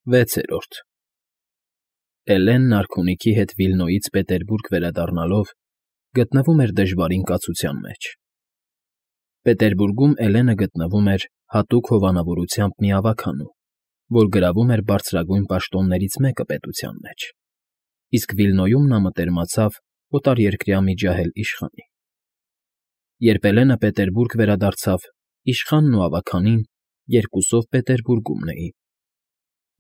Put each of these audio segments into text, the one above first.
6-րդ Էլենն արքունիքի հետ Վիլնոյից Պետերբուրգ վերադառնալով գտնվում էր դժվարին կացության մեջ։ Պետերբուրգում Էլենը գտնվում էր հատուկ հովանավորությամբ մի ավագանու, որ գրավում էր բարձրագույն պաշտոններից մեկը պետության մեջ, իսկ Վիլնոյում նա մտերմացավ օտարերկրյա մի ջահել իշխանի։ Երբ Էլենը Պետերբուրգ վերադարձավ, իշխանն ու ավագանին երկուսով Պետերբուրգումն էին։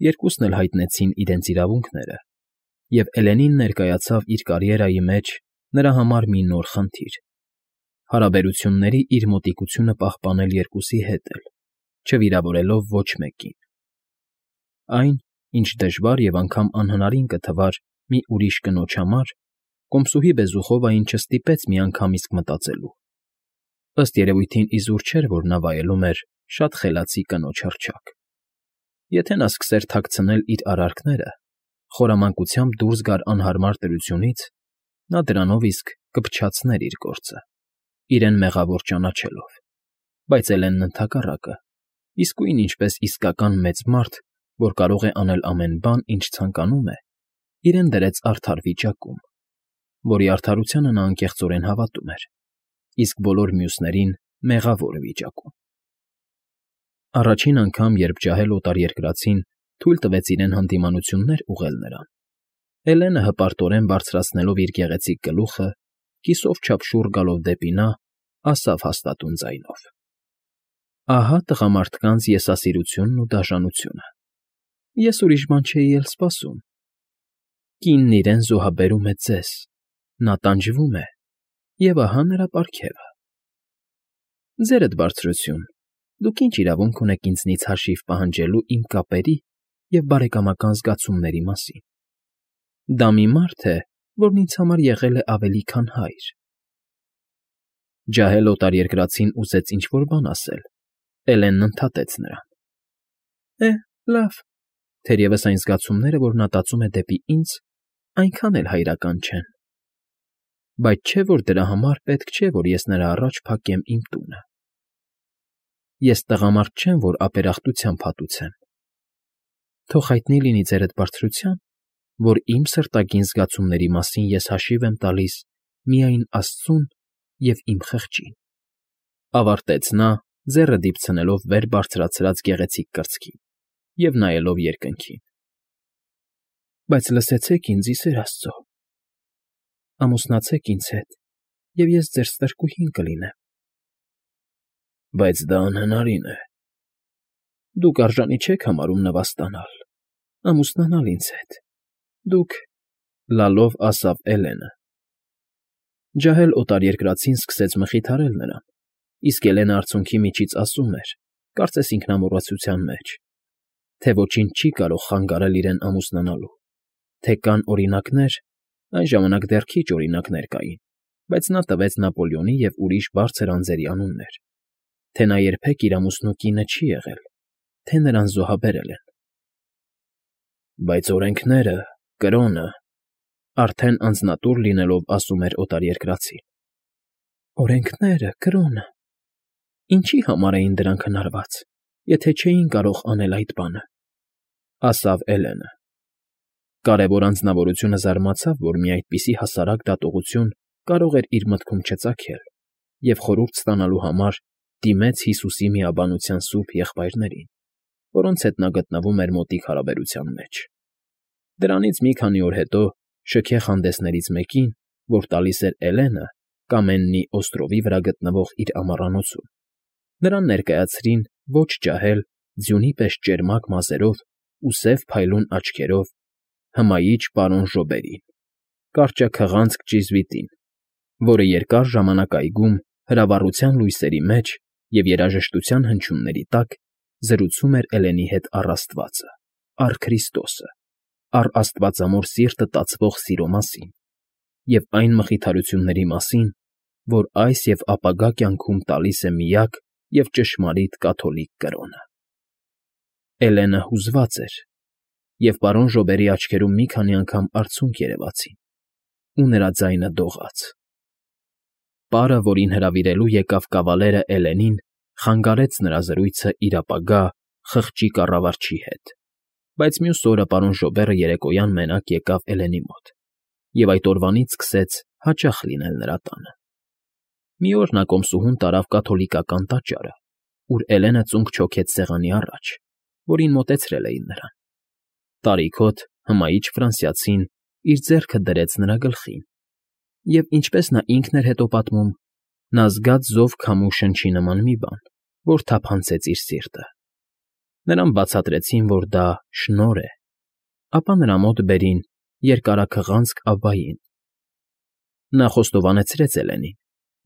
Երկուսն էլ հայտնեցին իրենց իրավունքները, և Էլենին ներկայացավ իր կարիերայի մեջ նրա համար մի նոր խնդիր՝ հարաբերությունների իր մոտիկությունը պահպանել երկուսի հետ էլ, չվիրավորելով ոչ մեկին։ Այն, ինչ դժվար և անգամ անհնարին կթվար մի ուրիշ կնոջ համար, կոմսուհի Բեզուխովային չստիպեց միանգամից մտածելու։ Ըստ երևույթին իզուր չէր, որ նա վայելում էր շատ խելացի կնոջ հռչակ։ Եթե նա սկսեր թաքցնել իր արարքները, խորամանկությամբ դուրս գար անհարմար դրությունից, նա դրանով իսկ կփչացներ իր գործը, իրեն մեղավոր ճանաչելով, բայց Էլենն ընդհակառակը, իսկույն ինչպես իսկական մեծ մարդ, որ կարող է անել ամեն բան, ինչ ցանկանում է, իրեն դրեց արդար վիճակում, որի արդարությանը նա անկեղծորեն հավատում էր, իսկ բոլոր մյուսներին մեղավոր վիճակում։ Առաջին անգամ, երբ ջահել օտարերկրացին թույլ տվեց իրեն հանդիմանություններ ուղղել նրան, Էլենը հպարտորեն բարձրացնելով իր գեղեցիկ գլուխը, կիսով չափշուռ գալով դեպի նա, ասավ հաստատուն ձայնով. «Ահա տղամարդկանց եսասիրությունն ու դաժանությունը։ Ես ուրիշ բան չէի էլ սպասում։ Կինն իրեն զոհաբերում է ձեզ, նա տանջվում է, և ահա նրա պարգևը։ Ձերդ բարձրություն, դուք ինչ իրավունք ունեք ինձնից հաշիվ պահանջելու իմ կապերի և բարեկամական զգացումների մասին։ Դա մի մարդ է, որն ինձ համար եղել է ավելի, քան հայր»։ Ջահել օտարերկրացին ուզեց ինչ֊որ բան ասել, Էլենն ընդհատեց նրան. լավ, թերևս այն զգացումները, որ նա տածում է դեպի ինձ, այնքան էլ հայրական չեն, բայց չէ՞ որ դրա համար պետք չէ, որ ես նրա առաջ փակեմ իմ տունը։ Ես տղամարդ չեմ, որ ապերախտությամբ հատուցեմ։ Թող հայտնի լինի ձերդ բարձրության, որ իմ սրտագին զգացումների մասին ես հաշիվ եմ տալիս միայն աստծուն և իմ խղճին,֊ ավարտեց նա, ձեռը դիպցնելով վեր բարձրացրած գեղեցիկ կրծքին և նայելով երկնքին։ Բայց լսեցեք ինձ, ի սեր Աստծո, ամուսնացեք ինձ հետ, և ես ձեր ստրկուհին կլինեմ։ Բայց դա անհնարին է։ Դուք արժանի չեք համարում նվաստանալ, ամուսնանալ ինձ հետ, դուք,֊ լալով ասավ Էլենը։ Ջահել օտարերկրացին սկսեց մխիթարել նրան, իսկ Էլենը արցունքի միջից ասում էր, կարծես ինքնամոռացության մեջ, թե ոչինչ չի կարող խանգարել իրեն ամուսնանալու, թե կան օրինակներ, այն ժամանակ դեռ քիչ օրինակներ կային, բայց նա տվեց Նապոլեոնի և ուրիշ բարձր անձերի անուններ, թե նա երբեք իր ամուսնու կինը չի եղել, թե նրան զոհաբերել են։ Բայց օրենքները, կրոնը, արդեն անձնատուր լինելով ասում էր օտարերկրացին. Օրենքները, կրոնը… Ինչի համար էին դրանք հնարված, եթե չէին կարող անել այդ բանը,֊ ասավ Էլենը։ Կարևոր անձնավորությունը զարմացավ, որ մի այդպիսի հասարակ դատողություն կարող էր իր մտքում չծագել, և խորհուրդ ստանալու համար դիմեց Հիսուսի միաբանության սուրբ եղբայրներին, որոնց հետ նա գտնվում էր մոտիկ հարաբերության մեջ։ Դրանից մի քանի օր հետո շքեղ հանդեսներից մեկին, որ տալիս էր Էլենը Կամեննի օստրովի վրա գտնվող իր ամառանոցում, նրան ներկայացրին ոչ ջահել, ձյունի պես ճերմակ մազերով ու սև փայլուն աչքերով հմայիչ պարոն Ժոբերին, կարճաքղանցք ճիզվիտին, որը երկար ժամանակ այգում հրավառության լույսերի մեջ և երաժշտության հնչյունների տակ զրուցում էր Էլենի հետ առ Աստվածը, առ Քրիստոսը, առ աստվածամոր սիրտը տածվող սիրո մասին և այն մխիթարությունների մասին, որ այս և ապագա կյանքում տալիս է միակ և ճշմարիտ կաթոլիկ կրոնը։ Էլենը հուզված էր, և պարոն Ժոբերի աչքերում մի քանի անգամ արցունք երևացին, ու նրա ձայնը դողաց։ Պարը, որին հրավիրելու եկավ կավալերը Էլենին, խանգարեց նրա զրույցը իր ապագա խղճի կառավարչի հետ Բայց մյուս օրը պարոն Ժոբերը երեկոյան մենակ եկավ Էլենի մոտ և այդ օրվանից սկսեց հաճախ լինել նրա տանը։ Մի օր նա կոմսուհուն տարավ կաթոլիկական տաճարը, ուր Էլենը ծունկ չոքեց սեղանի առաջ, որին մոտեցրել էին նրան։ Տարիքոտ, հմայիչ ֆրանսիացին իր ձեռքը դրեց նրա գլխին, և, ինչպես նա ինքն էր հետո պատմում, նա զգաց զով քամու շնչի նման մի բան, որ թափանցեց իր սիրտը։ Նրան բացատրեցին, որ դա շնորհ է, ապա նրա մոտ բերին երկարաքղանցք Աբբային։ Նա խոստովանեցրեց Էլենին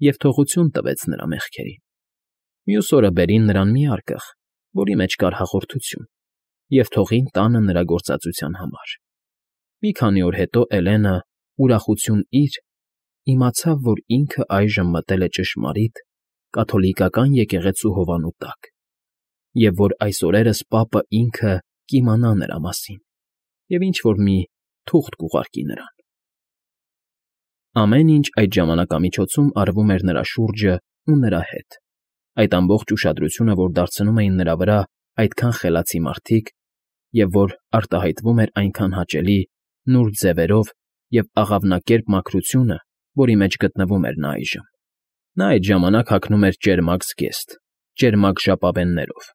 և թողություն տվեց նրա մեղքերին։ Մյուս օրը բերին նրան մի արկղ, որի մեջ կար հաղորդություն, և թողին տանը նրա գործածության համար։ Մի քանի օր հետո Էլենը, ուրախություն իր, իմացավ, որ ինքը այժմ մտել է ճշմարիտ կաթոլիկական եկեղեցու հովանու տակ, և որ այս օրերս պապը ինքը կիմանա նրա մասին և ինչ֊որ մի թուղթ կուղարկի նրան։ Ամեն ինչ այդ ժամանակամիջոցում արվում էր նրա շուրջը ու նրա հետ, այդ ամբողջ ուշադրությունը, որ դարձնում էին նրա վրա այդքան խելացի մարդիկ, և որ արտահայտվում էր այնքան հաճելի, նուրբ ձևերով և աղավնակերպ մաքրությունը, որի մեջ գտնվում էր նա այժմ։ Նա այդ ժամանակ հագնում էր ճերմակ զգեստ, ճերմակ ժապավեններով։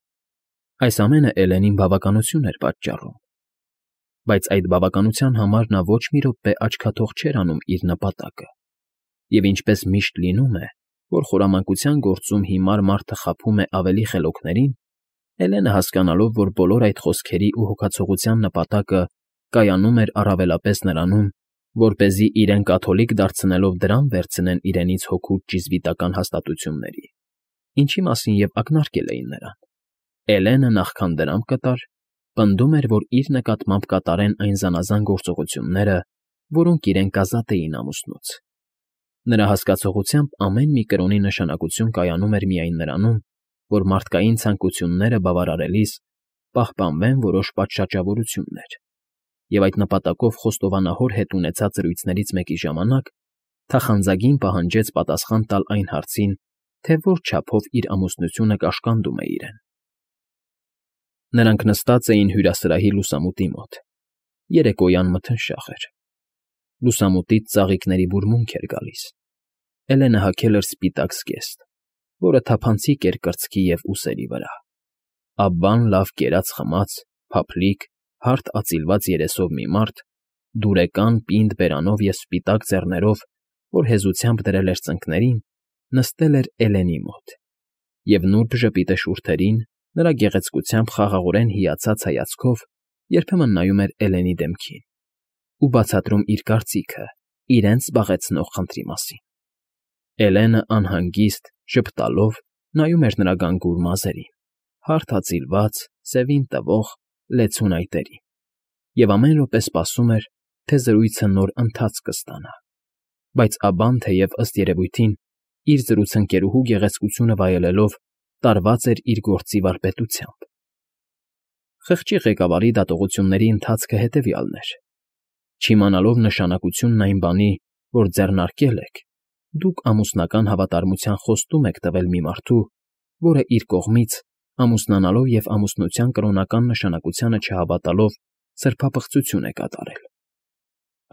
Այս ամենը Էլենին բավականություն էր պատճառում, բայց այդ բավականության համար նա ոչ մի րոպե աչքաթող չէր անում իր նպատակը, և ինչպես միշտ լինում է, որ խորամանկության գործում հիմար մարդը խաբում է ավելի խելոքներին, Էլենը հասկանալով, որ բոլոր այդ խոսքերի ու հոգացողության նպատակը կայանում էր առավելապես նրանում, որպեսզի իրեն կաթոլիկ դարձնելով դրան վերցնեն իրենից հոգուց ճիզվիտական հաստատությունների, ինչի մասին և ակնարկել էին նրան, Էլենը նախքան դրամ կտար, պնդում էր, որ իր նկատմամբ կատարեն այն զանազան գործողությունները, որոնք իրեն կազատեին ամուսնուց։ Նրա հասկացողությամբ ամեն մի կրոնի նշանակություն կայանում էր միայն նրանում, որ մարդկային ցանկությունները բավարարելիս պահպանվեն որոշ պատշաճավորություններ, և այդ նպատակով խոստովանահոր հետ ունեցած զրույցներից մեկի ժամանակ թախանձագին պահանջեց պատասխան տալ այն հարցին, թե որ չափով իր ամուսնությունը կաշկանդում է իրեն։ Նրանք նստած էին հյուրասրահի լուսամուտի մոտ։ Երեկոյան մթնշաղ էր։ Լուսամուտից ծաղիկների բուրմունք էր գալիս։ Էլենը հագել էր սպիտակ զգեստ, որը թափանցիկ էր կրծքի և ուսերի վրա։ Աբբան լավ կերած֊խմած, փափլիկ, հարթ ածիլված երեսով մի մարդ, դուրեկան պինդ բերանով և սպիտակ ձեռներով, որ հեզությամբ դրել էր ծնկներին, նստել էր Էլենի մոտ, և նուրբ ժպիտը շուրթերին, նրա գեղեցկությամբ խաղաղորեն հիացած հայացքով երբեմն նայում էր Էլենի դեմքին ու բացատրում իր կարծիքը իրենց զբաղեցնող խնդրի մասին։ Էլենը անհանգիստ, ժպտալով նայում էր նրա գանգուր մազերին, հարթ ածիլված, սևին տվող, լեցուն այտերին, և ամեն րոպե սպասում էր, թե զրույցը նոր ընթացք կստանա, բայց Աբբան, թեև ըստ երևույթին, իր զրուցընկերուհու գեղեցկությունը վայելելով, տարված էր իր գործի վարպետությամբ։ Խղճի ղեկավարի դատողությունների ընթացքը հետևյալն էր. չիմանալով նշանակությունն այն բանի, որ ձեռնարկել եք, դուք ամուսնական հավատարմության խոստում եք տվել մի մարդու, որը իր կողմից, ամուսնանալով և ամուսնության կրոնական նշանակությանը չհավատալով, սրբապղծություն է կատարել։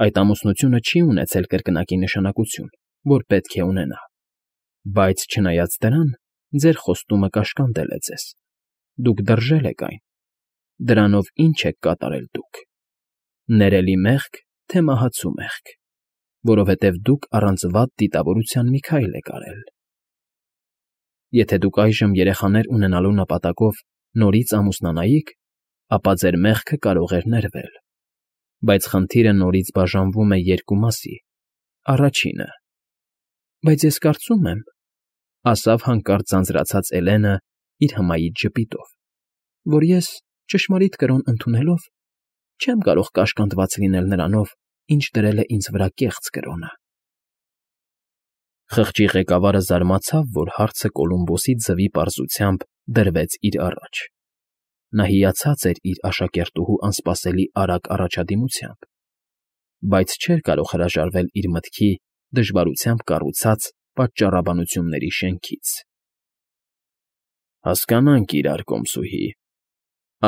Այդ ամուսնությունը չի ունեցել կրկնակի նշանակություն, որ պետք է ունենա, բայց չնայած դրան, ձեր խոստումը կաշկանդել է ձեզ, դուք դրժել եք այն, դրանով ի՞նչ եք կատարել դուք. ներելի մեղք, թե մահացու մեղք, որովհետև դուք առանց վատ դիտավորության մի քայլ եք արել։ Եթե դուք այժմ երեխաներ ունենալու նպատակով նորից ամուսնանայիք, ապա ձեր մեղքը կարող էր ներվել, բայց խնդիրը նորից բաժանվում է երկու մասի. առաջինը. բայց ես կարծում եմ, ասավ հանկարծ ձանձրացած Էլենը իր հմայիչ ժպիտով, որ ես, ճշմարիտ կրոն ընդունելով, չեմ կարող կաշկանդված լինել նրանով, ինչ դրել է ինձ վրա կեղծ կրոնը։ Խղճի ղեկավարը զարմացավ, որ հարցը Կոլումբոսի ձվի պարզությամբ դրվեց իր առաջ։ Նա հիացած էր իր աշակերտուհու անսպասելի արագ առաջադիմությամբ, բայց չէր կարող հրաժարվել իր մտքի դժվարությամբ կառուցած պատճառաբանությունների շենքից։ Հասկանանք իրար, կոմսուհի,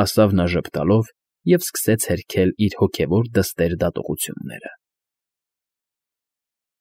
ասավ նա ժպտալով և սկսեց հերքել իր հոգևոր դստեր դատողությունները։